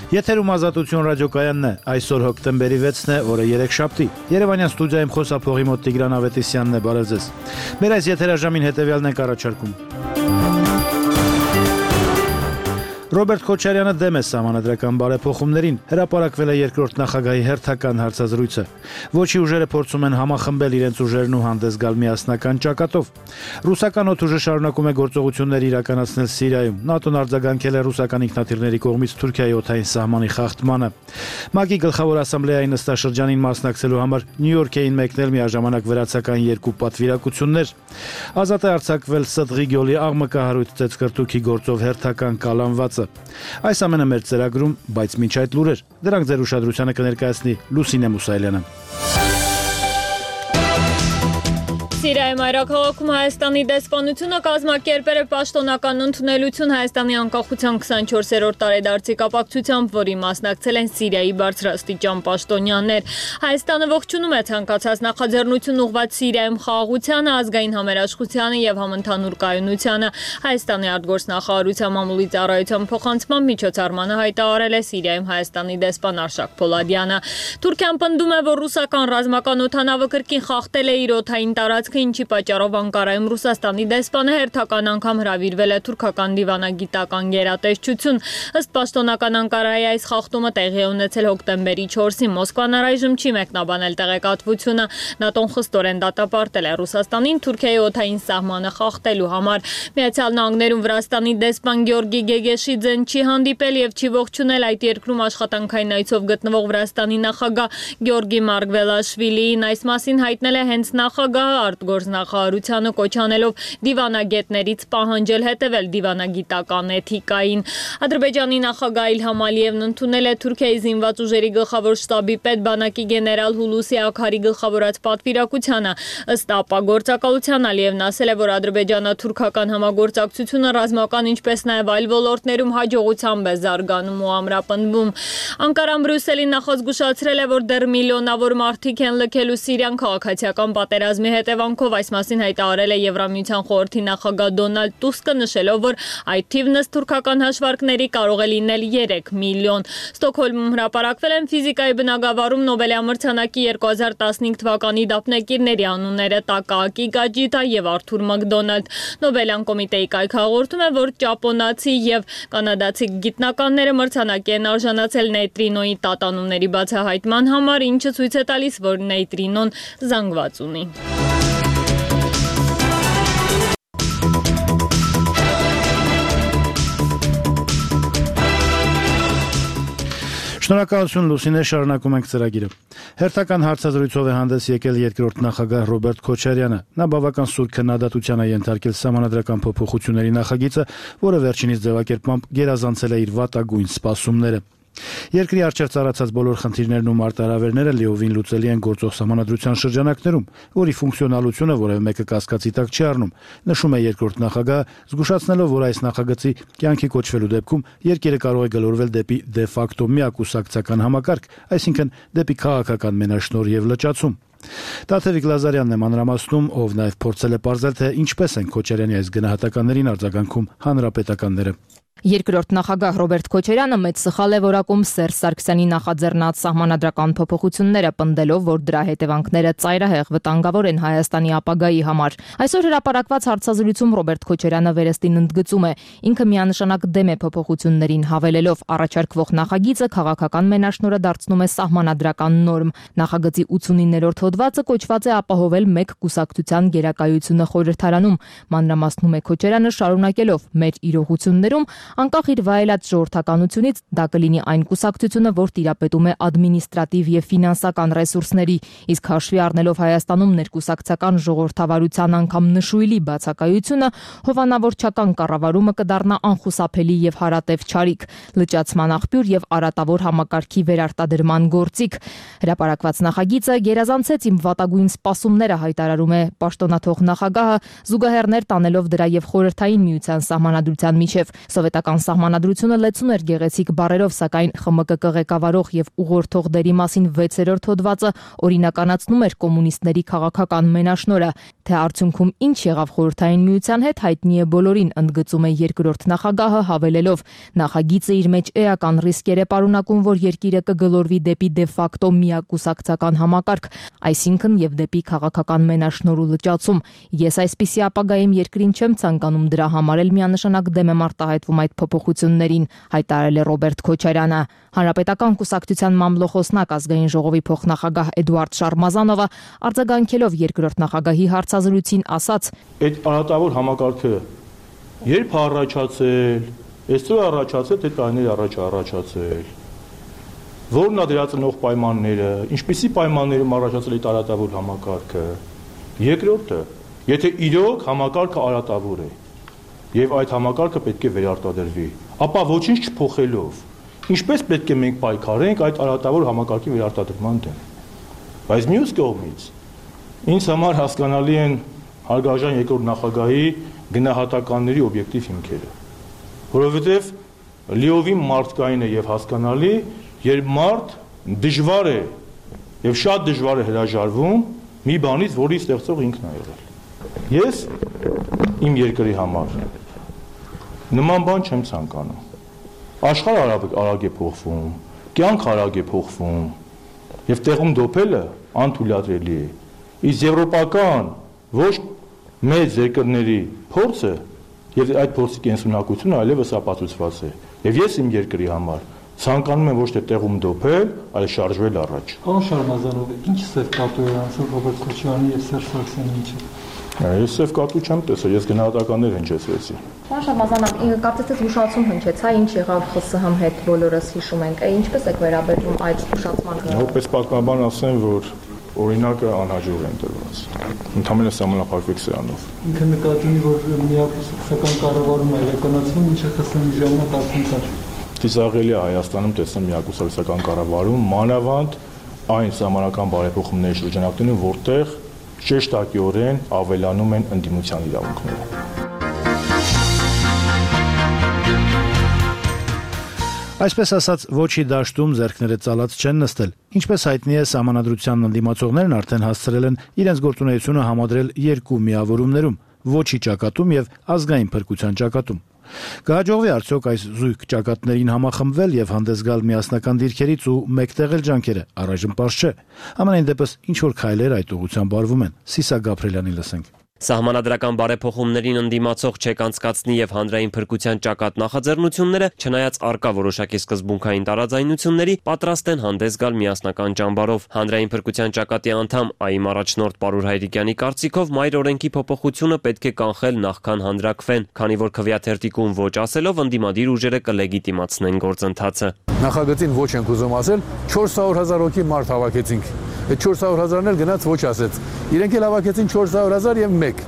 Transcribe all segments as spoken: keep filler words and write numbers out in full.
Եթերում Ազատություն ռադիոկայանն է, այսօր հոկտեմբերի վեցն է, օրը երեքշաբթի։ Երևանյան ստուդիայում խոսափողի մոտ Տիգրան Ավետիսյանն է, բարև ձեզ։ Մեր այս եթերաժամին հետևյալն ենք առաջարկում։ Ռոբերտ Քոչարյանը դեմ է սահմանադրական բարեփոխումներին, հրապարակվել է երկրորդ նախագահի հերթական հարցազրույցը։ Ոչի ուժերը փորձում են համախմբել իրենց ուժերն ու հանդես գալ միասնական ճակատով։ Ռուսական օդուժը շարունակում է գործողություններ իրականացնել Սիրիայում։ ՆԱՏՕ-ն արձագանքել է ռուսական ինքնաթիռների կողմից Թուրքիայի օդային սահմանի խախտմանը։ ՄԱԿ-ի գլխավոր ասամբլեայի նստաշրջանին մասնակցելու համար Նյու Յորք էին մեկնել միաժամանակ վրացական երկու պատվիրակություններ։ Ազատ է արձակվել Սդղի գյուղի աղմկահարույց ծեծկրտուքի գործով հերթական կալանվածը։ Այս ամենը մեր ծրագրում, բայց մինչ այդ լուրեր, դրանք ձեր ուշադրությանը կներկայացնի Լուսինե Մուսայելյանը։ Սիրիայի մայրաքաղաքում Հայաստանի դեսպանությունը կազմակերպել է պաշտոնական ընդունելություն Հայաստանի անկախության քսանչորսերորդ տարեդարձի կապակցությամբ, որի մասնակցել են Սիրիայի բարձրաստիճան պաշտոնյաներ։ Հայաստանը ողջունում է ցանկացած նախաձեռնություն ուղղված Սիրիայում խաղաղությանը, ազգային համերաշխությանը եւ համընդհանուր կայունությանը։ Հայաստանի արտգործնախարարության մամուլի ծառայության փոխանցման միջոցառմանը հայտարարել է Սիրիայում Հայաստանի դեսպան Արշակ Փոլադյանը։ Թուրքիան պնդում է, որ ռուսական ռազմական օդանավը կրկին խախտել է իր օդային տարածքը, ինչի պատճառով Անկարայում Ռուսաստանի դեսպանը հերթական անգամ հրավիրվել է թուրքական դիվանագիտական գերատեսչություն։ Ըստ պաշտոնական Անկարայի այս խախտումը տեղի է ունեցել հոկտեմբերի չորսին։ Մոսկվան առայժմ չի մեկնաբանել տեղեկատվությունը։ ՆԱՏՕ-ն խստորեն դատապարտել է Ռուսաստանին Թուրքիայի օդային սահմանը խախտելու համար։ Միացյալ Նահանգներում Վրաստանի դեսպան Գյորգի Գեգեշիձեն չի հանդիպել եւ չի ողջունել այդ երկրում աշխատանքային այցով գտնվող Վրաստանի նախագահ Գյորգի Մարգվելաշվիլիին։ Այս մասին հայտնել է հենց նախագահը, արտգործնախարարությանը կոչ անելով դիվանագետներից պահանջել հետևել դիվանագիտական էթիկային։ Ադրբեջանի նախագահ Իլհամ Ալիևն ընդունել է Թուրքիայի զինված ուժերի գլխավոր շտաբի պետ բանակի գեներալ Հուլուսի Աքարի գլխավորած պատվիրակությանը։ Ըստ ԱՊԱ գործակալության Ալիևն ասել է, որ ադրբեջանա-թուրքական համագործակցությունը ռազմական, ինչպես նաև այլ ոլորտներում հաջողությամբ է զարգանում ու ամրապնդվում։ Անկարան Բրյուսելին նախազգուշացրել է, որ դեռ միլիոնավոր մարդիկ են լքելու Սիրիան քաղաքացիական պատերազմի հետևանքով։ Այս մասին հայտարարել է Եվրամիության խորհրդի նախագահ Դոնալդ Տուսկը, նշելով, որ այդ թիվն ըստ թուրքական հաշվարկների կարող է լինել երեք միլիոն։ Ստոկհոլմում հրապարակվել են ֆիզիկայի բնագավառում Նոբելյան մրցանակի երկու հազար տասնհինգ թվականի դափնեկիրների անունները՝ Տակաակի Գաջիտա եւ Արթուր Մակդոնալդ։ Նոբելյան կոմիտեի կայքը հաղորդում է, որ ճապոնացի եւ կանադացի գիտնականները մրցանակի են արժանացել նեյտրինոյի տատանումների բացահայտման համար, ինչը ցույց է տալիս, որ նեյտրինոն զանգված ունի։ Շնորհակալություն Լուսինե, շարունակում ենք ծրագիրը։ Հերթական հարցազրույցով է հանդես եկել երկրորդ նախագահ Ռոբերտ Քոչարյանը։ Նա բավական սուր քննադատության է ենթարկել սահմանադրական փոփոխությունների նախագիծը, որը վերջինիս ձևակերպմամբ գերազանցել է իր վատագույն սպասումները։ Երկրի առջև ծառացած բոլոր խնդիրներն ու մարտահրավերները լիովին լուծելի են գործող սահմանադրության շրջանակներում, որի ֆունկցիոնալությունը որևէ մեկը կասկածի տակ չի առնում, նշում է երկրորդ նախագահը, զգուշացնելով, որ այս նախագծի կյանքի կոչվելու դեպքում երկիրը կարող է գլորվել դեպի դե ֆակտո միակուսակցական համակարգ, այսինքն դեպի քաղաքական մենաշնորհ եւ լճացում։ Տաթևիկ Լազարյանն է մանրամասնում, ով նաև փորձել է պարզել, թե ինչպես են Քոչարյանի այս գնահատականներին արձագանքում հանրապետականները։ Երկրորդ նախագահ Ռոբերտ Քոչարյանը մեծ սխալ է որակում Սերժ Սարգսյանի նախաձեռնած սահմանադրական փոփոխությունները, պնդելով, որ դրա հետևանքները ծայրահեղ վտանգավոր են Հայաստանի ապագայի համար։ Այսօր հրապարակված հարցազրույցում Ռոբերտ Քոչարյանը վերստին ընդգծում է, ինքը միանշանակ դեմ է փոփոխություններին, հավելելով, առաջարկվող նախագիծը քաղաքական մենաշնորհը դարձնում է սահմանադրական նորմ։ Նախագծի ութսունիններորդ հոդվածը կոչված է ապահովել մեկ կուսակցության գերակայությունը խորհրդարանում։ Մանրամասնում է Քոչարյանը, շարունակելով, մեր իրողություններում անկախ իր վայելած ժողովրդականությունից դա կլինի այն կուսակցությունը, որ տիրապետում է ադմինիստրատիվ եւ ֆինանսական ռեսուրսների, իսկ հաշվի առնելով Հայաստանում ներկուսակցական ժողովրդավարության անգամ նշույլի բացակայությունը, հովանավորչական կառավարումը կդառնա անխուսափելի եւ հարատև չարիք, լճացման աղբյուր եւ արատավոր համակարգի վերարտադրման գործիք։ Հրապարակված նախագիծը գերազանցեց իմ վատագույն սպասումները, հայտարարում է պաշտոնաթող նախագահը, զուգահեռներ տանելով դրա եւ խորհրդային միության սահմանադրության միջև։ Հանրապետական սահմանադրությունը լեցուն էր գեղեցիկ բառերով, սակայն ԽՄԿԿ ղեկավարող եւ ուղղորդող դերի մասին վեցերորդ հոդվածը օրինականացնում էր կոմունիստների քաղաքական մենաշնորհը, թե արդյունքում ինչ եղավ Խորհրդային Միության հետ հայտնի է բոլորին, ընդգծում է երկրորդ նախագահը, հավելելով. նախագիծը իր մեջ էական ռիսկեր է պարունակում, որ երկիրը կգլորվի դեպի դե ֆակտո միակուսակցական համակարգ, այսինքն եւ դեպի քաղաքական մենաշնորհ ու լճացում։ Ես այսպիսի ապագայում երկրին չեմ ցանկանում, դրա համար էլ միանշանակ դեմ եմ արտահայտվում այդ փոփոխություններին, հայտարարել է Ռոբերտ Քոչարյանը։ Հանրապետական կուսակցության մամլոխոսնակ ազգային ժողովի փոխնախագահ Էդուարդ Շարմազանովը արձագանքելով երկրորդ նախագահի հարցազրույցին ասաց. Այդ արատավոր համակարգը երբ առաջացել, այսօր առաջացել, թե տարիներ առաջ առաջացել, որն է դրա ծնող պայմանները, ինչպիսի պայմաններում առաջացել այդ արատավոր համակարգը, երկրորդը, եթե իրոք համակարգը արատավոր է եւ այդ համակարգը պետք է վերարտադրվի, ապա ոչինչ չփոխելով, ինչպես պետք է մենք պայքարենք այդ արատավոր համակարգի վերարտադրման դեմ։ Բայց մյուս կողմից ինձ համար հասկանալի են հարգարժան երկրորդ նախագահի գնահատականների օբյեկտիվ հիմքերը, որովհետեւ լիովին մարդկային է եւ հասկանալի, երբ մարդ դժվար է եւ շատ դժվար է հրաժարվում մի բանից, որի ստեղծող ինքն է եղել։ Ես իմ երկրի համար նման բան չեմ ցանկանում։ Աշխարհը արագ է փոխվում, կյանքը արագ է փոխվում, եւ տեղում դոփելը անթույլատրելի է։ Իսկ եվրոպական ոչ մեծ երկրների փորձը եւ այդ փորձի կենսունակությունը այլևս ապացուցված է։ Եվ ես իմ երկրի համար ցանկանում եմ ոչ թե տեղում դոփել, այլ շարժվել առաջ։ Պարոն Շարմազանով, ինչ սև կատու է անցել Ռոբերտ Քոչարյանի եւ Սերժ Սարգսյանի միջեւ։ Ես սև կատու չեմ տեսել, ես գնահատականներ հնչեցրեցի։ Պարոն Շարմազանով, կարծես թե զգուշացում հնչեց, հա, ինչ եղավ ԽՍՀՄ հետ բոլորս հիշում ենք, ինչպես եք վերաբերվում այդ զգուշացմանը։ Որպես պատմաբան ասեմ, որ օրինակը անհաջող են տրված։ Ընդհանրապես համապարփակ սրանով։ Ինքը նկատի ունի, որ միակուսակցական կառավարումը իրականացվում, ինչը ԽՍՀՄ-ի ժամանակ արդեն կար։ Ծիծաղելի է Հայաստանում տեսնել միակուսակցական կառավարում, մանավանդ այն սահմանական բարեփոխումների շրջանակներում, որտեղ շեշտակիորեն ավելանում են ընդդիմության իրավունքները։ Այսպես ասած, ոչի դաշտում ձեռքները ծալած չեն նստել։ Ինչպես հայտնի է, սահմանադրության ընդդիմացողներն արդեն հասցրել են իրենց գործունեությունը համադրել երկու միավորումներում՝ ոչի ճակատում եւ ազգային փրկության ճակատում։ Կհաջողվի արդյոք այս զույգ ճակատներին համախմբվել եւ հանդես գալ միասնական դիրքերից ու մեկտեղել ջանքերը, առայժմ պարզ չէ։ Ամենայն դեպս ինչ որ քայլեր այդ ուղղությամբ արվում են։ Սիսա Գաբրելյանի լսենք։ Սահմանադրական բարեփոխումներին ընդդիմացող չեք անցկացնի եւ հանրային փրկության ճակատ նախաձեռնությունները, չնայած արկա որոշակի սկզբունքային տարաձայնությունների, պատրաստ են հանդես գալ միասնական ճամբարով։ Հանրային փրկության ճակատի անդամ ԱԻՄ առաջնորդ Պարուր Հայրիկյանի կարծիքով մայր օրենքի փոփոխությունը պետք է կանխել նախքան հանրաքվեն, քանի որ քվեաթերթիկում ոչ ասելով ընդդիմադիր ուժերը կլեգիտիմացնեն գործընթացը։ Նախագծին ոչ ենք ուզում ասել, չորս հարյուր հազար հոգի մարդ հավաքեցինք։ Այդ չորս հարյուր հազարն էլ գնաց ոչ ասեց։ Իրենք էլ հավաքեցին չորս հարյուր հազար եւ մեկ։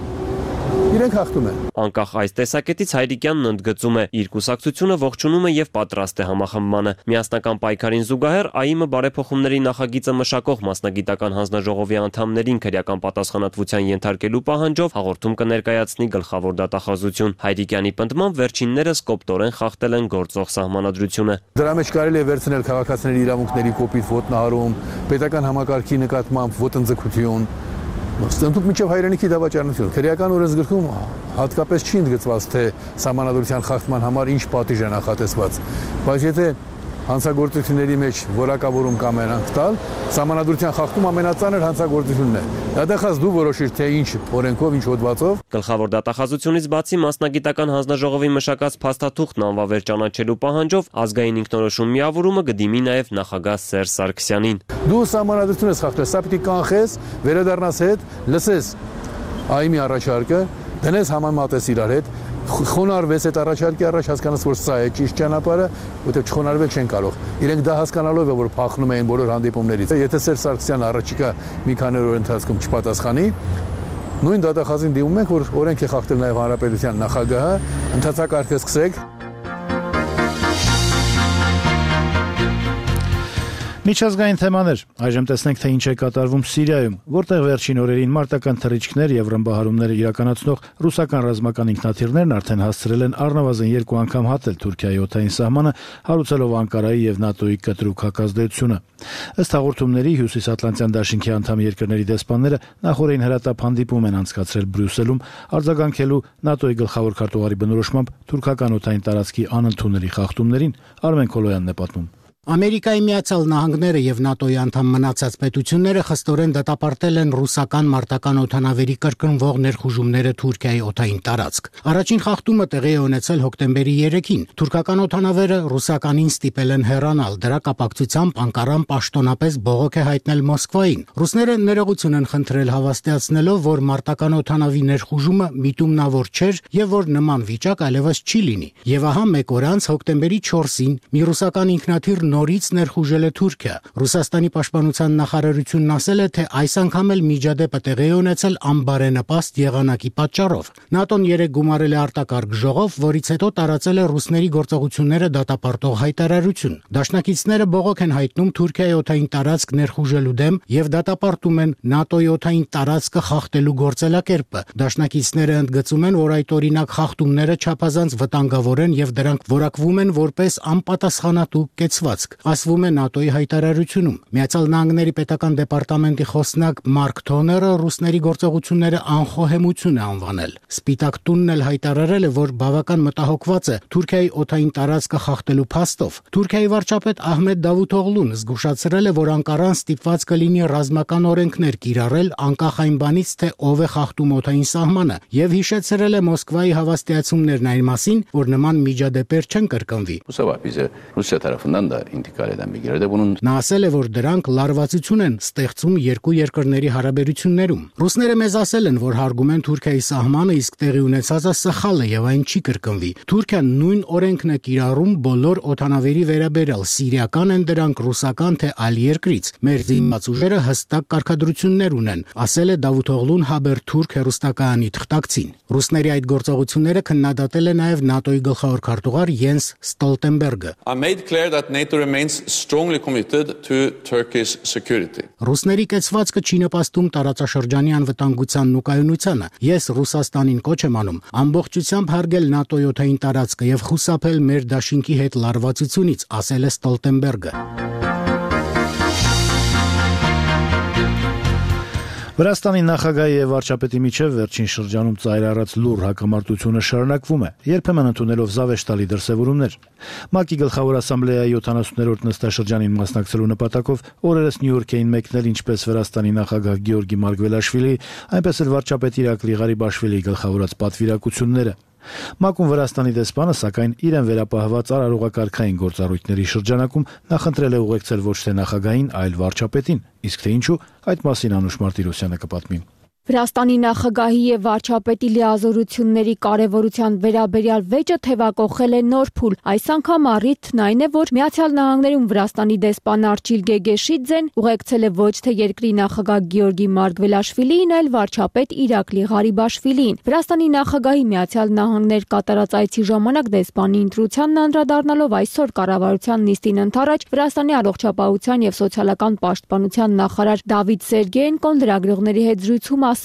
Իրենք հաղթում են։ Անկախ այս տեսակետից Հայրիկյանն ընդգծում է, իր կուսակցությունը ողջունում է եւ պատրաստ է համախմբմանը։ Միասնական պայքարին զուգահեռ ԱԻՄ բարեփոխումների նախագիծը մշակող մասնագիտական հանձնաժողովի անդամներին քրեական պատասխանատվության ենթարկելու պահանջով հաղորդում կներկայացնի գլխավոր դատախազություն։ Հայրիկյանի պնդմամբ վերջիններս կոպտորեն խախտել են գործող սահմանադրությունը։ Դրա մեջ կարելի է վերցնել քաղաքացիների իրավունքների կոպիտ ոտնահարում, պետական համակարգի նկատմամբ ոտնձգություն, ստնդուկ միջև հայրենիքի դավաճանություն։ Քրեական օրենսգրքում հատկապես չի ընդգծված, թե սահմանադրության խախտման համար ինչ պատիժ է նախատեսված, բայց եթե հանցագործությունների մեջ որակավորում կամենանք տալ, սահմանադրության խախտում ամենածանր հանցագործությունն է։ Դատախազ դու որոշիր, թե ինչ օրենքով, ինչ հոդվածով։ Գլխավոր դատախազությունից բացի մասնագիտական հանձնաժողովի մշակած փաստաթուղթն անվավեր ճանաչելու պահանջով ազգային ինքնորոշում միավորումը կդիմի նաև նախագահ Սերժ Սարգսյանին։ Դու սահմանադրություն ես խախտել, սա պիտի կանխես, վերադառնաս հետ, լսես ԱԻՄ-ի առաջարկը, դնես համեմատես իրար հետ, խոնարհվես այդ առաջարկի առաջ, հասկանաս, որ սա է ճիշտ ճանապարհը, որտեղ չխոնարհվել չեն կարող։ Իրենք դա հասկանալով է, որ փախնում էին բոլոր հանդիպումներից։ Եթե Սերժ Սարգսյանը առաջիկա մի քանի օր ընթացքում չպատասխանի, նույն դատախազին դիմում ենք, որ օրենք է խախտել նաև հանրապետության նախագահը, ընդհանրակարգը սկսեք։ Միջազգային թեմաներ։ Այժմ տեսնենք, թե ինչ է կատարվում Սիրիայում, որտեղ վերջին օրերին մարտական թռիչքներ եւ ռմբահարումներ իրականացնող ռուսական ռազմական ինքնաթիռներն արդեն հասցրել են առնվազն երկու անգամ հատել Թուրքիայի օդային սահմանը, հարուցելով Անկարայի եւ ՆԱՏՕ-ի կտրուկ հակազդեցությունը։ Ըստ հաղորդումների Հյուսիսատլանտյան դաշինքի անդամ երկրների դեսպանները նախորդին հրատապ հանդիպում են անցկացրել Բրյուսելում, արձագանքելու ՆԱՏՕ-ի գլխավոր քարտուղարի բնորոշմամբ թուրքական օդային տարածքի անընդունելի խախտումներին։ Արմեն Քոլոյանն է պատմում։ Ամերիկայի Միացյալ Նահանգները եւ ՆԱՏՕ-ի անդամ մնացած պետությունները խստորեն դատապարտել են ռուսական մարտական օդանավերի կրկնվող ներխուժումները Թուրքիայի օդային տարածք։ Առաջին խախտումը տեղի է ունեցել հոկտեմբերի երեքին։ Թուրքական օդանավերը ռուսականին ստիպել են հեռանալ։ Դրա կապակցությամբ Անկարան պաշտոնապես բողոք է հայտնել Մոսկվային։ Ռուսները ներողություն են խնդրել, հավաստիացնելով, որ մարտական օդանավի ներխուժումը միտումնավոր չէր եւ որ նման վիճակ այլևս չի լինի։ Եվ ահա մեկ օր անց հոկտեմբերի չորսին մի ռուսական ինքնաթիռ նորից ներխուժել է Թուրքիա։ Ռուսաստանի պաշտպանության նախարարությունն ասել է, թե այս անգամ էլ միջադեպը տեղի է ունեցել անբարենպաստ եղանակի պատճառով։ ՆԱՏՕ-ն երեկ գումարել է արտակարգ ժողով, որից հետո տարածել է ռուսների գործողությունները դատապարտող հայտարարություն։ Դաշնակիցները բողոք են հայտնում Թուրքիայի օդային տարածք ներխուժելու դեմ եւ դատապարտում են ՆԱՏՕ-ի օդային տարածքը խախտելու գործելակերպը։ Դաշնակիցները ընդգծում են, որ այդ օրինակ խախտումները չափազանց վտանգավոր են եւ դրանք որակվում են որպես անպատասխանատու կեցված։ Ասվում է ՆԱՏՕ-ի հայտարարությունում։ Միացյալ Նահանգների պետական դեպարտամենտի խոսնակ Մարկ Թոները ռուսների գործողությունները անխոհեմություն է անվանել։ Սպիտակ տունն էլ հայտարարել է, որ բավական մտահոգված է Թուրքիայի օդային տարածքը խախտելու փաստով։ Թուրքիայի վարչապետ Ահմեդ Դավութօղլուն զգուշացրել է, որ Անկարան ստիպված կլինի ռազմական օրենքներ կիրառել անկախ այն բանից, թե ով է խախտում օդային սահմանը, եւ հիշեցրել է Մոսկվայի հավաստիացումներն այն մասին, որ նման միջադեպեր չեն կրկնվի։ Նա ասել է, որ դրանք լարվածություն են ստեղծում երկու երկրների հարաբերություններում։ Ռուսները մեզ ասել են, որ հարգում են Թուրքիայի սահմանը, իսկ տեղի ունեցածը սխալ է եւ այն չի կրկնվի։ Թուրքիան նույն օրենքն է կիրառում բոլոր օդանավերի վերաբերյալ, սիրիական են դրանք, ռուսական թե այլ երկրից։ Մեր զինված ուժերը հստակ կարգադրություններ ունեն, ասել է Դավութօղլուն Հաբերթուրք հեռուստակայանի թղթակցին։ Ռուսների այդ գործողությունները քննադատել է նաեւ ՆԱՏՕ-ի գլխավոր քարտուղար Յենս Ստոլտենբերգը։ Ռուսների կեցվածքը չի նպաստում տարածաշրջանի անվտանգությանն ու կայունությանը։ Ես Ռուսաստանին կոչ եմ անում ամբողջությամբ հարգել ՆԱՏՕ-ի օդային տարածքը եւ խուսափել մեր դաշինքի հետ լարվածությունից, ասել է Ստոլտենբերգը։ Վրաստանի նախագահի եւ վարչապետի միջև վերջին շրջանում ծայրահարած լուր հակամարտությունը շարունակվում է, երբեմն ընդունելով զավեշտալի դրսևորումներ։ ՄԱԿ-ի գլխավոր ասամբլեայի յոթանասուններորդ նստաշրջանին մասնակցելու նպատակով օրերս Նյու Յորք էին մեկնել ինչպես Վրաստանի նախագահ Գեորգի Մարգվելաշվիլի, այնպես էլ վարչապետ Իրակլի Ղարիբաշվիլիի գլխավորած պատվիրակությունները։ ՄԱԿ-ում Վրաստանի դեսպանը, սակայն իրեն վերապահված արարողակարգային գործառույթների շրջանակում նախընտրել է ուղեկցել ոչ թե նախագահին, այլ վարչապետին, իսկ թե ինչու, այդ մասին Անուշ Մարտիրոսյանը կպատմի։ Վրաստանի նախագահի եւ վարչապետի լիազորությունների կարեւորության վերաբերյալ վեճը թեվակողել է նոր փուլ։ Այս անգամ առիթն այն է, որ Միացյալ Նահանգներում Վրաստանի դեսպան Արչիլ Գեգեշիձեն ուղեկցել է ոչ թե երկրի նախագահ Գեորգի Մարգվելաշվիլիին, այլ վարչապետ Իրակլի Ղարիբաշվիլիին։ Վրաստանի նախագահի Միացյալ Նահանգներ կատարած այցի ժամանակ դեսպանի ընտրությանն անդրադառնալով այսօր կառավարության նիստին ընթառաջ Վրաստանի առողջապահության եւ սոցիալական պաշտպանության նախարար Դավիթ Սերգեենկոն լրագրողների հետ զրույցում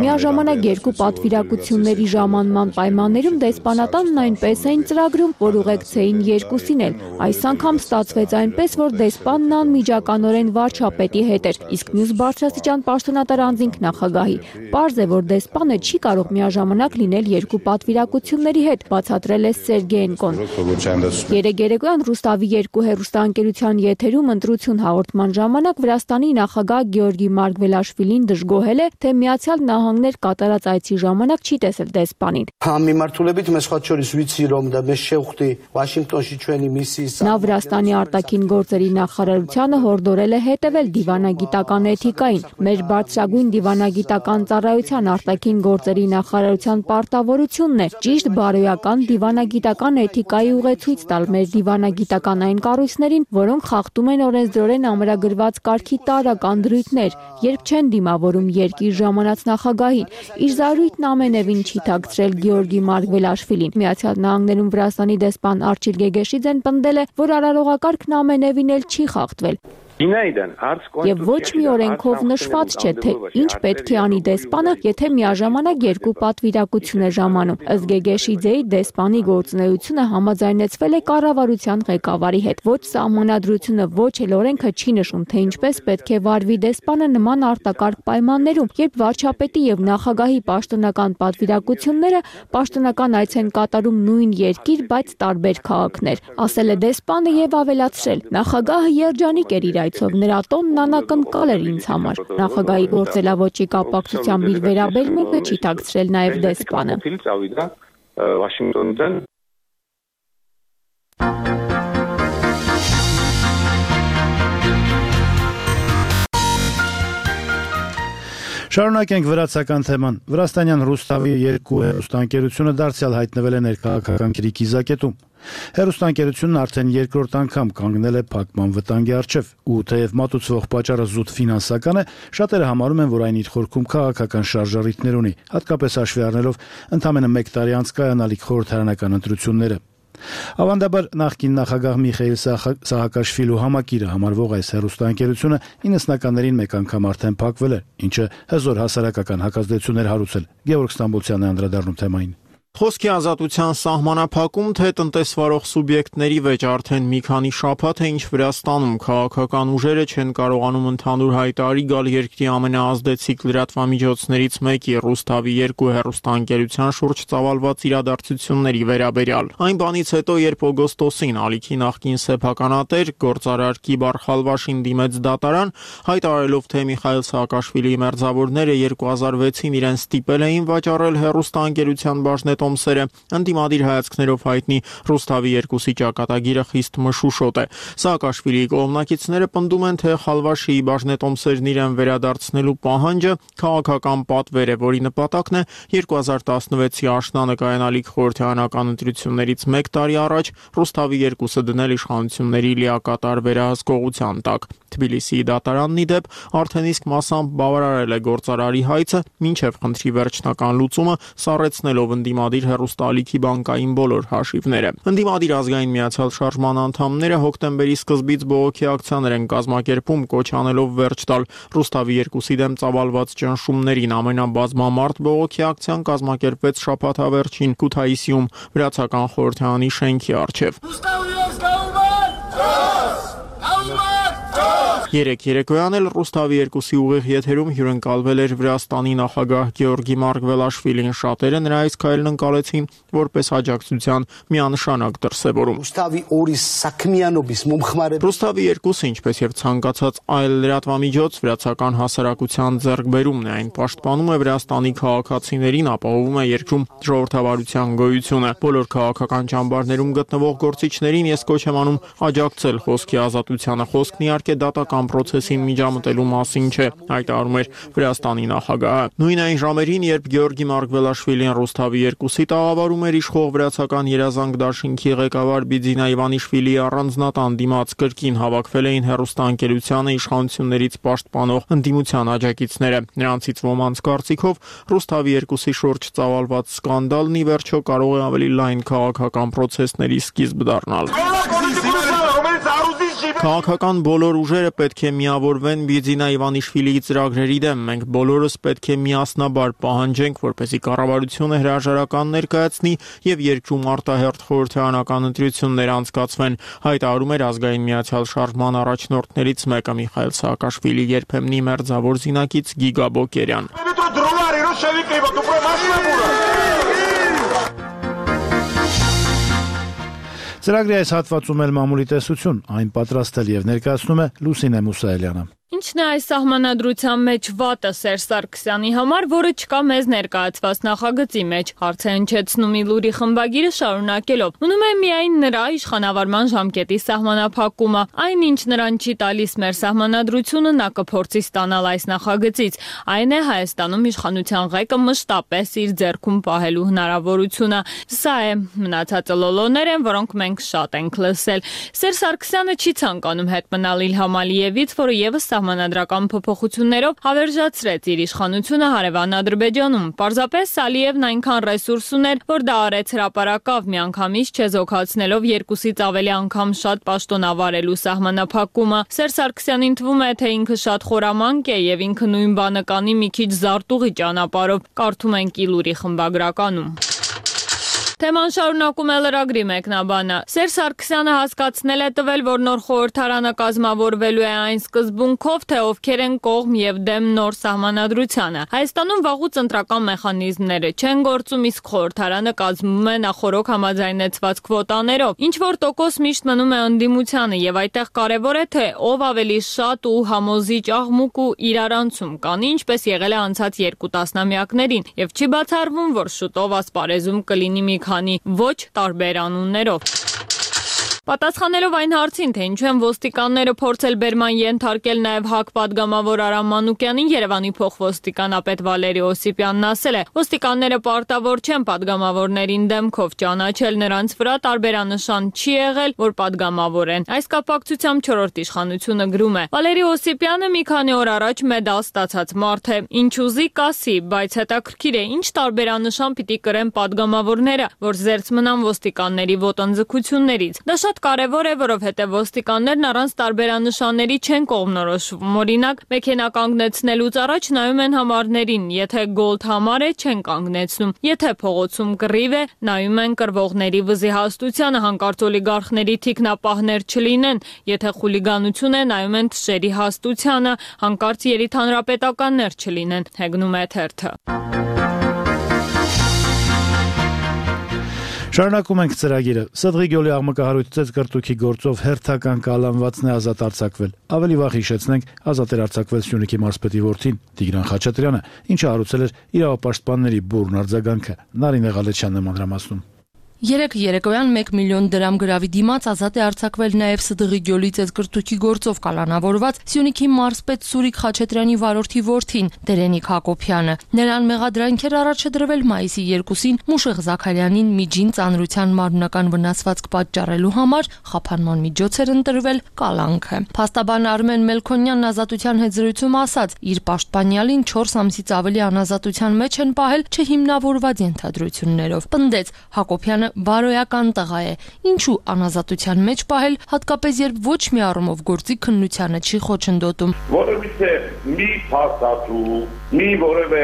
Միաժամանակ երկու պատվիրակությունների ժամանման պայմաններում դեսպանատանն այնպես էին ծրագրում, որ ուղեկցեին երկուսին էլ։ Այս անգամ ստացվեց այնպես, որ դեսպանն անմիջականորեն վարչապետի հետ էր, իսկ մյուս բարձրաստիճան պաշտոնատար անձինք նախագահի։ Պարզ է, որ դեսպանը չի կարող միաժամանակ լինել երկու պատվիրակությունների հետ, բացատրել է Սերգեենկոն։ Երեկ երեկոյան Ռուստավի երկու հեռուստաընկերության եթերում ընտրություն հաղորդման ժամանակ Վրաստանի նախագահ Գեորգի Մարգվելաշվիլին դժգոհել է, թե Միացյալ Նահանգներ կատարած այցի ժամանակ չի տեսել դեսպանին։ Նա Վրաստանի արտաքին գործերի նախարարությանը հորդորել է հետևել դիվանագիտական էթիկային։ Մեր բարձրագույն դիվանագիտական ծառայության արտաքին գործերի նախարարության պարտավորությունն է ճիշտ բարոյական դիվանագիտական էթիկայի ուղեցույց տալ մեր դիվանագիտական այն կառույցներին, որոնք խախտում են օրենսդրորեն ամրագրված կարգի տարրական դրույթներ։ երբ չեն դիմավորում երկիր ժամանած նախագահին։ Իր զարույթն ամենևին չի թաքցրել Գեորգի Մարգվելաշվիլին։ Միացյալ Նահանգներում Վրաստանի դեսպան Արչիլ Գեգեշիձեն պնդել է, որ արարողակարգն ամենևին էլ չի խախտվել։ Եվ ոչ մի օրենքով նշված չէ, թե ինչ պետք է անի դեսպանը, եթե միաժամանակ երկու պատվիրակություն է ժամանում։ Ըստ Գեգեշիձեի դեսպանի գործունեությունը համաձայնեցվել է կառավարության ղեկավարի հետ։ Ոչ սահմանադրությունը, ոչ էլ օրենքը չի նշում, թե ինչպես պետք է վարվի դեսպանը նման արտակարգ պայմաններում, երբ վարչապետի եւ նախագահի պաշտոնական պատվիրակությունները պաշտոնական այց են կատարում նույն երկիր, բայց տարբեր քաղաքներ, ասել է դեսպանը եւ ավելացրել. նախագահը երջանիկ էր իր այցով, նրա տոնն անակնկալ էր ինձ համար։ Նախագահի գործելավոճի կապակցությամբ իր վերաբերմունքը չի թաքցրել նաև դեսպանը։ Շարունակենք վրացական թեման։ Վրաստանյան Ռուստավի երկու հեռուստաընկերությունը դարձյալ հայտնվել է ներքաղաքական կրկիզակետում։ Հեռուստաընկերությունն արդեն երկրորդ անգամ կանգնել է փակման վտանգի առջև, ու թեև մատուցվող պատճառը զուտ ֆինանսական է, շատերը համարում են, որ այն իր խորքում քաղաքական շարժառիթներ ունի, հատկապես հաշվի առնելով ընդամենը մեկ տարի անց կայանալիք խորհրդարանական ընտրությունները։ Ավանդաբար նախկին նախագահ Միխայիլ Սահակաշվիլու համակիրը համարվող այս հեռուստաընկերությունը իննսնականներին մեկ անգամ արդեն փակվել է, ինչը հզոր հասարակական հակազդեցություններ հարուցել։ Գևորգ Ստամբոլցյանն է անդրադառնում թեմային։ Խոսքի ազատության սահմանափակում, թե տնտեսվարող սուբյեկտների վեճ արդեն մի քանի շաբաթ է, ինչ Վրաստանում քաղաքական ուժերը չեն կարողանում ընդհանուր հայտարարի գալ երկրի ամենաազդեցիկ լրատվամիջոցներից մեկի Ռուստավի երկու հեռուստաընկերության շուրջ ծավալված իրադարձությունների վերաբերյալ։ Այն բանից հետո, երբ օգոստոսին ալիքի նախկին սեփականատեր գործարար Կիբար Խալվաշին դիմեց դատարան, հայտարարելով, թե Միխայիլ Սահակաշվիլիի մերձավորները երկու հազար վեցին իրեն ստիպել էին վաճառել հեռուստաընկերության բաժնետ տոմսերը, ընդդիմադիր հայացքներով հայտնի Ռուստավի երկուսի ճակատագիրը խիստ մշուշոտ է։ Սահակաշվիլիի կողմնակիցները պնդում են, թե Խալվաշիի բաժնետոմսերն իրեն վերադարձնելու պահանջը քաղաքական պատվեր է, որի նպատակն է երկու հազար տասնվեցի աշնանը կայանալիք խորհրդարանական ընտրություններից մեկ տարի առաջ Ռուստավի երկուսը դնել իշխանությունների լիակատար վերահսկողության տակ։ Թբիլիսիի դատարանն ի դեպ արդեն իսկ մասամբ բավարարել է գործարարի հայցը, մինչև խնդրի վերջնական լուծումը սառեցնելով ընդդիմադիր հեռուստաալիքի բանկային բոլոր հաշիվները։ Ընդդիմադիր ազգային միացյալ շարժման անդամները հոկտեմբերի սկզբից բողոքի ակցիաներ են կազմակերպում, կոչ անելով վերջ տալ Ռուստավի երկուսի դեմ ծավալված ճնշումներին։ Ամենաբազմամարդ բողոքի ակցիան կազմակերպվեց շաբաթավերջին Քութայիսիում վրացական խորհրդարանի շենքի առջև։ Երեք երեկոյան էլ Ռուստավի երկուսի ուղիղ եթերում հյուրընկալվել էր Վրաստանի նախագահ Գեորգի Մարգվելաշվիլին։ Շատերը նրա այս քայլն ընկալեցին որպես աջակցության միանշանակ դրսևորում։ Ռուստավի երկուսը, ինչպես եւ ցանկացած այլ լրատվամիջոց, վրացական հասարակության ձեռքբերումն է, այն պաշտպանում է Վրաստանի քաղաքացիներին, ապահովում է երկրում ժողովրդավարության գոյությունը։ Բոլոր քաղաքական ճամբարներում գտնվող գործիչներին ես կոչ եմ անում աջակցել խոսքի ազատությանը։ Խոսքն իհարկե դատական պրոցեսին միջամտելու մասին չէ, հայտարարում էր Վրաստանի նախագահը։ Նույն այն ժամերին, երբ Գեորգի Մարգվելաշվիլին Ռուստավի երկուսի տաղավարում էր, իշխող վրացական երազանք դաշինքի ղեկավար Բիձինա Իվանիշվիլիի առանձնատան դիմաց կրկին հավաքվել էին հեռուստաընկերությանը իշխանություններից պաշտպանող ընդդիմության աջակիցները։ Նրանցից ոմանց կարծիքով Ռուստավի երկուսի շուրջ ծավալված սկանդալն ի վերջո կարող է ավելի լայն քաղաքական պրոցեսների սկիզբ դառնալ։ Քաղաքական բոլոր ուժերը պետք է միավորվեն Բիձինա Իվանիշվիլիի ծրագրերի դեմ։ Մենք բոլորս պետք է միասնաբար պահանջենք, որպեսզի կառավարությունը հրաժարական ներկայացնի եւ երկրում արտահերթ խորհրդարանական ընտրություններ անցկացվեն, հայտարարում էր ազգային միացյալ շարժման առաջնորդներից մեկը Միխայիլ Սահակաշվիլի երբեմնի մերձավոր զինակից Գիգա Բոկերյան։ Ծրագրի այս հատվածում էլ մամուլի տեսություն, այն պատրաստել եւ ներկայացնում է Լուսինե Մուսայելյանը։ Ինչն է այս սահմանադրության մեջ վատը Սերժ Սարգսյանի համար, որը չկա մեզ ներկայացված նախագծի մեջ, հարց է հնչեցնում Իլուրի խմբագիրը շարունակելով։ Մնում է միայն նրա իշխանավարման ժամկետի սահմանափակումը, այն ինչ նրան չի տալիս մեր սահմանադրությունը, նա կփորձի ստանալ այս նախագծից, այն է Հայաստանում իշխանության ղեկը մշտապես իր ձեռքում պահելու հնարավորությունը։ Սա է, մնացածը լոլոներ են, որոնք մենք շատ ենք լսել։ Սերժ Սարգսյանը չի ցանկանում հետ մնալ Իլհամ Ալիևից, որը եւս սահմանադրական փոփոխություններով հավերժացրեց իր իշխանությունը հարևան Ադրբեջանում։ Պարզապես Ալիևն այնքան ռեսուրս ուներ, որ դա արեց հրապարակավ միանգամից չեզոքացնելով երկուսից ավելի անգամ շատ պաշտոնավարելու սահմանափակումը։ Սերժ Սարգսյանին թվում է, թե ինքը շատ խորամանկ է եւ ինքը նույն բանը կանի մի քիչ զարտուղի ճանապարհով, կարդում ենք Իլուրի խմբագրականում։ Թեման շարունակում է լրագրի մեկնաբանը։ Սերժ Սարգսյանը հասկացնել է տվել, որ նոր խորհրդարանը կազմավորվելու է այն սկզբունքով, թե ովքեր են կողմ եւ դեմ նոր սահմանադրությանը։ Հայաստանում վաղուց ընտրական մեխանիզմները չեն գործում, իսկ խորհրդարանը կազմվում է նախորոք համաձայնեցված քվոտաներով։ Ինչ որ տոկոս միշտ մնում է ընդդիմությանը եւ այդտեղ կարեւոր է, թե ով ավելի շատ ու համոզիչ աղմուկ ու իրարանցում կանի, ինչպես եղել է անցած երկու տասնամյակներին, եւ չի բացառվում, որ շուտով ասպարեզում կլինի մի քանի ոչ տարբեր անուններով։ Պատասխանելով այն հարցին, թե ինչու են ոստիկանները փորձել բերման ենթարկել նաև ՀԱԿ պատգամավոր Արամ Մանուկյանին, Երևանի փոխոստիկանապետ Վալերի Օսիպյանն ասել է. ոստիկանները պարտավոր չեն պատգամավորներին դեմքով ճանաչել, նրանց վրա տարբերանշան չի եղել, որ պատգամավոր են։ Այս կապակցությամբ չորրորդ իշխանությունը գրում է. Վալերի Օսիպյանը մի քանի օր առաջ մեդալ ստացած մարդ է, ինչ ուզի կասի, բայց հետաքրքիր է, ինչ տարբերանշան պիտի կրեն պատգամավորները, որ զերծ մնան ոստիկանների ոտնձգություններից։ Դա շատ կարևոր է, որովհետև ոստիկաններն առանց տարբերանշանների չեն կողմնորոշվում։ Օրինակ, մեքենա կանգնեցնելուց առաջ նայում են համարներին, եթե գոլդ համար է, չեն կանգնեցնում։ Եթե փողոցում կռիվ է, նայում են կռվողների վզի հաստությանը, հանկարծ օլիգարխների թիկնապահներ չլինեն։ Եթե խուլիգանություն է, նայում են թշերի հաստությանը, հանկարծ երիտանրապետականներ չլինեն, հեգնում է թերթը։ Շարունակում ենք ծրագիրը։ Սդղի գյուղի աղմկահարույց ծեծկրտուքի գործով հերթական կալանվածն է ազատ արձակվել։ Ավելի վաղ հիշեցնենք, ազատ էր արձակվել Սյունիքի մարզպետի որդին Տիգրան Խաչատրյանը, ինչը հարուցել էր իրավապաշտպանների բուրն արձագանքը։ Նարինե Ղալեչյանն է մանրամասնում։ Երեկ երեկոյան մեկ միլիոն դրամ գրավի դիմաց ազատ է արձակվել նաև Սդղի գյուղի ծեծկրտուքի գործով կալանավորված Սյունիքի մարզպետ Սուրիկ Խաչատրյանի վարորդի որդին Տերենիկ Հակոբյանը։ Նրան մեղադրանքեր առաջ է դրվել մայիսի երկուսին Մուշեղ Զաքարյանին միջին ծանրության մարմնական վնասվածք պատճառելու համար խափանման միջոց էր ընտրվել կալանքը։ Փաստաբան Արմեն Մելքոնյանն ազատության հետ զրույցում ասաց, իր պաշտպանյալին չորս ամսից ավելի անազատության մեջ են պահել չհիմնավորված ենթադրություններով։ Պնդեց Հակոբյանը բարոյական տղա է, ինչու անազատության մեջ պահել, հատկապես երբ ոչ մի առումով գործի քննությանը չի խոչընդոտում։ Որովհետև մի փաստաթու, մի որևէ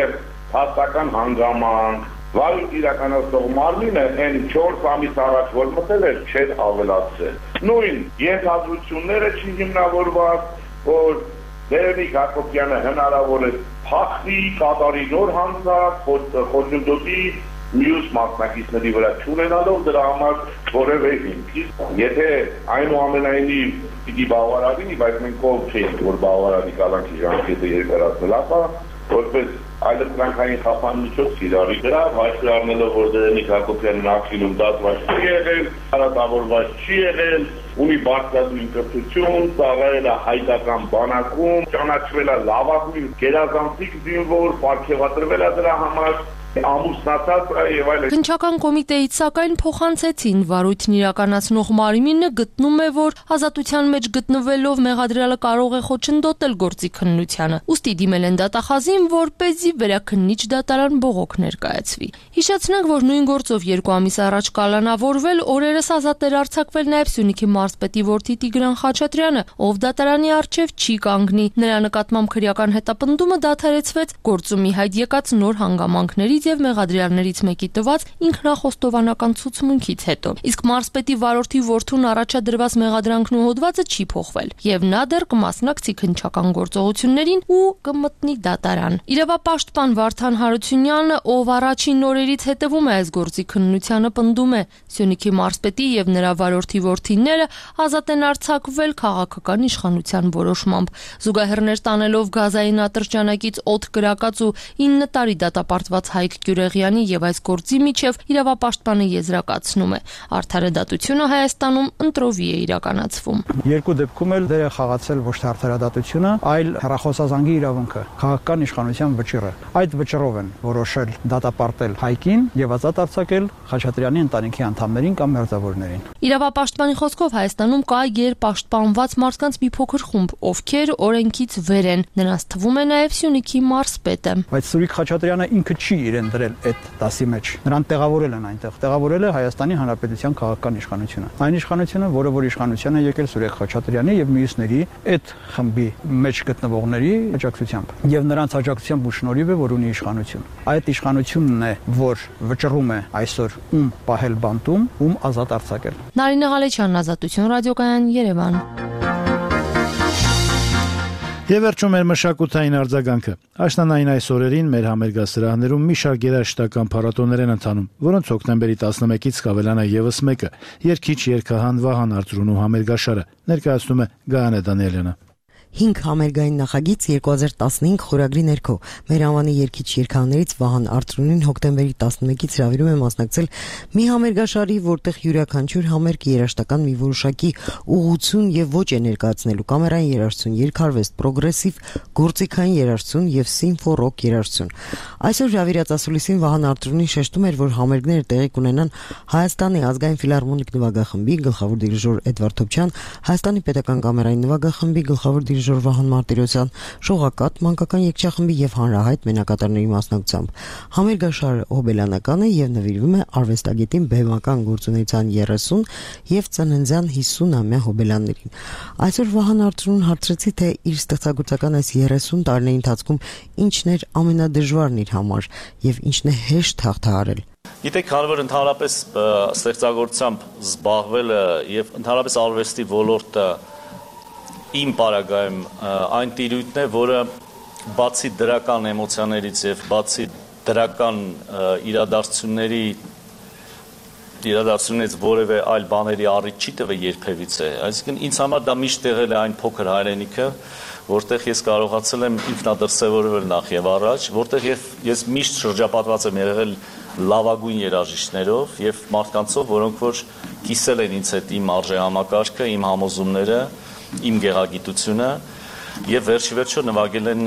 փաստական հանգամանք, վարույթ իրականացնող մարմինը այն չորս ամիս առաջ որ մտել էր, չէր ավելացրել։ Նույն ենթադրությունները չի հիմնավորված, որ Տերենիկ Հակոբյանը հնարավոր է փախնի, կատարի նոր հանցանք, խոչընդոտի մյուս մասնակիցների վրա չունենալով դրա համար որևէ հիմք։ Եթե այնուամենայնիվ պիտի բավարարի, բայց մենք ով չենք, որ բավարարի կալանքի ժամկետը երկարացնել, ապա որպես այլընտրանքային խափան միջոց իրարի դրա վայր առնելով, որ Տերենիկ Հակոբյանն ակտիվում դատված չի եղել, հարատավորված չի եղել, ունի բարձրադույն կրթություն, ծառայել է հայկական բանակում, ճանաչվել է լավագույն գերազանցիկ զինվոր, պարգևատրվել է դրա համար ամուսնացած եւ այլն։ Քննչական կոմիտեից սակայն փոխանցեցին վարույթն իրականացնող մարմինը գտնում է, որ ազատության մեջ գտնվելով մեղադրյալը կարող է խոչընդոտել գործի քննությանը։ Ուստի դիմել են դատախազին, որպեսզի վերաքննիչ դատարան բողոք ներկայացվի։ Հիշեցնենք, որ նույն գործով երկու ամիս առաջ կալանավորվել, օրերս ազատ էր արձակվել նաև Սյունիքի մարզպետի որդի Տիգրան Խաչատրյանը, ով դատարանի առջև չի կանգնի։ Նրա նկատմամբ քրեական հետապնդումը դադարեցվեց գործում ի հայտ եկած նոր հանգամանքների եւ մեղադրյալներից մեկի տված ինքնախոստովանական ցուցմունքից հետո։ Իսկ մարզպետի վարորդի որդուն առաջադրված մեղադրանքն ու հոդվածը չի փոխվել եւ նա դեռ կմասնակցի քննչական գործողություններին ու կմտնի դատարան։ Իրավապաշտպան Վարդան Հարությունյանը, ով առաջին օրերից հետևում է այս գործի քննությանը, պնդում է, Սյունիքի մարզպետի եւ նրա վարորդի որդիները ազատ են արձակվել քաղաքական իշխանության որոշմամբ։ Զուգահեռներ տանելով գազային ատրճանակից օդ կրակած ու ինը տարի դատապարտված հայ Արեգ Գյուրեղյանի եւ այս գործի միջև իրավապաշտպանը եզրակացնում է. արդարը դատությունը Հայաստանում ընտրովի է իրականացվում։ Երկու դեպքում էլ դեր է խաղացել ոչ թե արդարադատությունը, այլ հեռախոսազանգի իրավունքը, քաղաքական իշխանության վճիռը։ Այդ վճռով են որոշել դատապարտել Հայկին եւ ազատ արձակել Խաչատրյանի ընտանիքի անդամներին կամ մերձավորներին։ Իրավապաշտպանի խոսքով Հայաստանում կա երպաշտպանված մարդկանց մի փոքր խումբ, ովքեր օրենքից վեր են, նրանց թվում է նաեւ Սյունիքի մարզպետը։ Բայց Սուրիկ Խաչատրյանը ինքը չի իրեն դրել այդ դասի մեջ։ Նրան տեղավորել են այնտեղ։ Տեղավորել է Հայաստանի Հանրապետության քաղաքական իշխանությունը։ Այն իշխանությունը, որը որ իշխանության է եկել Սուրիկ Խաչատրյանի եւ մյուսների այդ խմբի մեջ գտնվողների աջակցությամբ։ Եվ նրանց աջակցությամբ ու շնորհիվ է, որ ունի իշխանություն։ Այդ իշխանությունն է, որ վճռում է այսօր ում պահել բանտում, ում ազատ արձակել։ Նարինե Ղալեչյան, Ազատություն ռադիոկայան, Երևան։ Եվ վերջում մեր մշակութային արձագանքը։ Աշնանային այս օրերին մեր համերգասրահներում մի շարք երաժշտական փառատոներ են ընթանում, որոնց հոկտեմբերի տասնմեկից կավելանա եւս մեկը՝ երգիչ երգահան Վահան Արծրունու համերգաշարը, ներկայացնում է Գայանե Դանիելյանը։ հինգ համերգային նախագիծ երկու հազար տասնհինգ խորագրի ներքո մեր անվանի երգիչ երգահաններից Վահան Արծրունին հոկտեմբերի տասնմեկից հրավիրում է մասնակցել մի համերգաշարի, որտեղ յուրաքանչյուր համերգը երաժշտական մի որոշակի ուղղություն եւ ոճ է ներկայացնելու՝ կամերային երաժշտություն, երգարվեստ, պրոգրեսիվ, գործիքային երաժշտություն եւ սիմֆո ռոք երաժշտություն։ Այսօր հրավիրած ասուլիսին Վահան Արծրունին շեշտում էր, որ համերգները տեղի կունենան Հայաստանի ազգային ֆիլհարմոնիկ նվագախմբի գլխավոր դիրիժոր Էդվարդ Թոփչյան, Հայաստանի պետական կամերային նվագախմբի գլխավոր դիրիժոր Վահան Մարտիրոսյան, Շողակաթ մանկական երգչախմբի եւ հանրահայտ մենակատարների մասնակցությամբ։ Համերգաշարը հոբելյանական է եւ նվիրվում է արվեստագետին բեմական գործունեության երեսուն եւ ծննդյան հիսուն-ամյա հոբելյաններին։ Այսօր Վահան Արծրունին հարցրեցի, թե իր ստեղծագործական այս երեսուն տարիների ընթացքում ինչն էր ամենադժվարն իր համար եւ ինչն է հեշտ հաղթահարել։ Գիտեք, քանի որ ընդհանրապես ստեղծագործությամբ զբաղվելը եւ ընդհանրապես արվեստի ոլորտը իմ պարագայում այն տիրույթն է, որը բացի դրական էմոցիաներից եւ բացի դրական իրադարձությունների իրադարձություններից որևէ այլ բաների առիթ չի տվել երբևիցե։ Այսինքն ինձ համար դա միշտ եղել է այն փոքր հայրենիքը, որտեղ ես կարողացել եմ ինքնադրսևորվել նախ եւ առաջ, որտեղ ես միշտ շրջապատված եմ եղել լավագույն երաժիշտներով եւ մարդկանցով, որոնք որ կիսել են ինձ հետ իմ արժեհամակարգը, իմ համոզումները, իմ գեղագիտությունը եւ վերջի վերջո նվագել են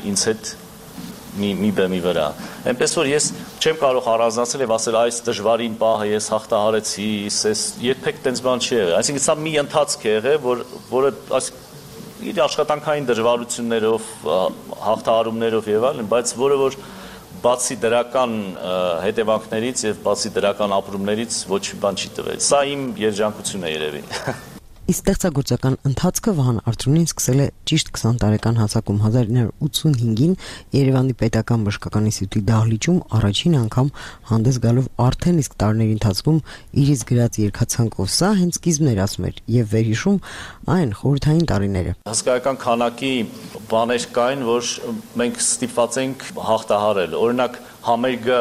ինձ հետ մի մի բեմի վրա։ Այնպես որ ես չեմ կարող առանձնացնել եւ ասել այս դժվարին պահը ես հաղթահարեցի, ես երբեք տենց բան չի եղել։ Այսինքն սա մի ընթացք է եղել, որ որը այս իր աշխատանքային դժվարություններով, հաղթահարումներով եւ այլն, բայց որը որ բացի դրական հետևանքներից եւ բացի դրական ապրումներից ոչ մի բան չի տվել։ Սա իմ երջանկությունն է երևի։ Իսկ ստեղծագործական ընթացքը Վահան Արծրունին սկսել է ճիշտ քսան տարեկան հասակում հազար ինը հարյուր ութսունհինգին Երևանի պետական բժշկական ինստիտուտի դահլիճում առաջին անգամ հանդես գալով արդեն իսկ տարիների ընթացքում իրից գրած երգացանկով։ Սա հենց սկիզբն էր, ասում էր, եւ վերհիշում այն խորհրդային տարիները։ Հսկայական քանակի բաներ կային, որ մենք ստիպված ենք հաղթահարել։ Օրինակ համերգը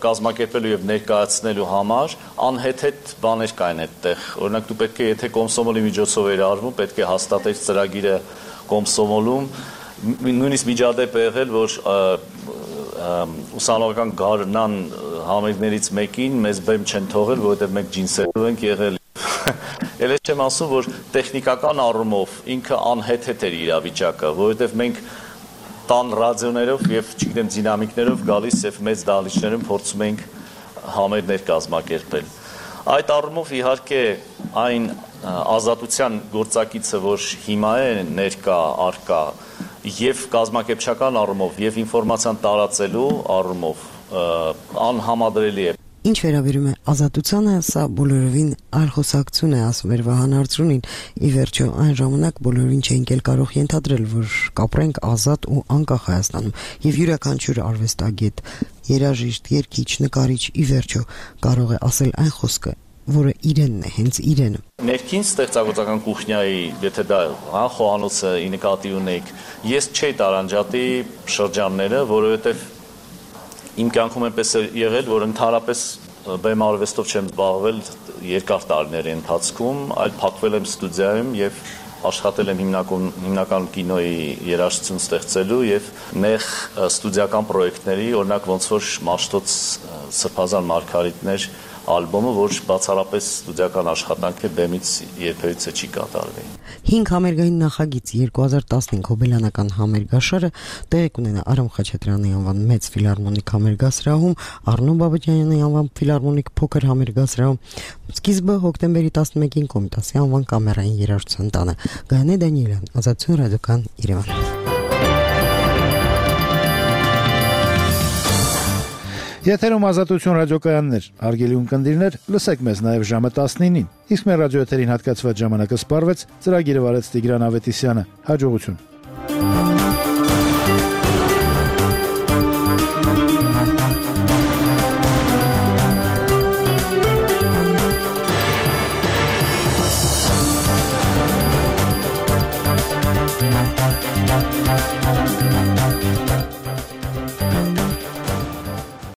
կազմակերպելու եւ ներկայացնելու համար անհեթեթ բաներ կային այդտեղ։ Օրինակ դու պետք է, եթե կոմսոմոլի միջոցով էր արվում, պետք է հաստատել ծրագիրը կոմսոմոլում, նույնիսկ միջադեպ է եղել, որ ուսանողական գարնան համերգներից մեկին մեզ բեմ չեն թողել, որովհետեւ մենք ջինսերով ենք եղել։ Էլ չեմ ասում, որ տեխնիկական առումով ինքը անհեթեթ էր իրավիճակը, որովհետեւ մենք տան ռադիոներով եւ չգիտեմ դինամիկներով գալիս եւ մեծ դահլիճներում փորձում ենք համերգներ կազմակերպել։ Այդ առումով իհարկե այն ազատության գործակիցը, որ հիմա է ներկա արկա եւ կազմակերպչական առումով եւ ինֆորմացիան տարածելու առումով անհամադրելի է։ Ինչ վերաբերում է ազատությանը, սա բոլորովին այլ խոսակցություն է, ասում էր Վահան Արծրունին։ Ի վերջո, այն ժամանակ բոլորին չէինք էլ կարող ենթադրել, որ կապրենք ազատ ու անկախ Հայաստանում, եւ յուրաքանչյուր արվեստագետ, երաժիշտ, երգիչ, նկարիչ ի վերջո կարող է ասել այն խոսքը, որը իրենն է, հենց իրենը։ Ներքին ստեղծագործական կուխնյայի, եթե դա հա խոհանոցը ի նկատի ունեք, ես չէի տարանջատի շրջանները, որովհետեւ իմ կյանքում այնպես է եղել, որ ընդհանրապես բեմարվեստով չեմ զբաղվել երկար տարիների ընթացքում, այլ փակվել եմ ստուդիայում եւ աշխատել եմ հիմնական հիմնական կինոյի երաժշտություն ստեղծելու եւ նեղ ստուդիական պրոյեկտների, օրինակ ոնց որ Մաշտոց Սրբազան Մարգարիտներ ալբոմը, որ բացառապես ստուդիական աշխատանք է, բեմից երբևիցե չի կատարվի։ հինգ համերգային նախագիծ երկու հազար տասնհինգ հոբելյանական համերգաշարը տեղի կունենա Արամ Խաչատրյանի անվան մեծ ֆիլհարմոնիկ համերգասրահում, Առնո Բաբաջանյանի անվան ֆիլհարմոնիկ փոքր համերգասրահում։ Սկիզբը հոկտեմբերի տասնմեկին Կոմիտասի անվան կամերային երաժշտության տանը։ Գայանե Դանիելյան, Ազատություն ռադիոկան, Երևան։ Եթերում Ազատություն ռադիոկայաններ, հարգելի ունկնդիրներ, լսեք մեզ նաև ժամը տասնինին։ Իսկ մեր ռադիոեթերին հատկացված ժամանակը սպառվեց, ծրագիրը վարեց Տիգրան Ավետիսյանը։ Հաջողություն։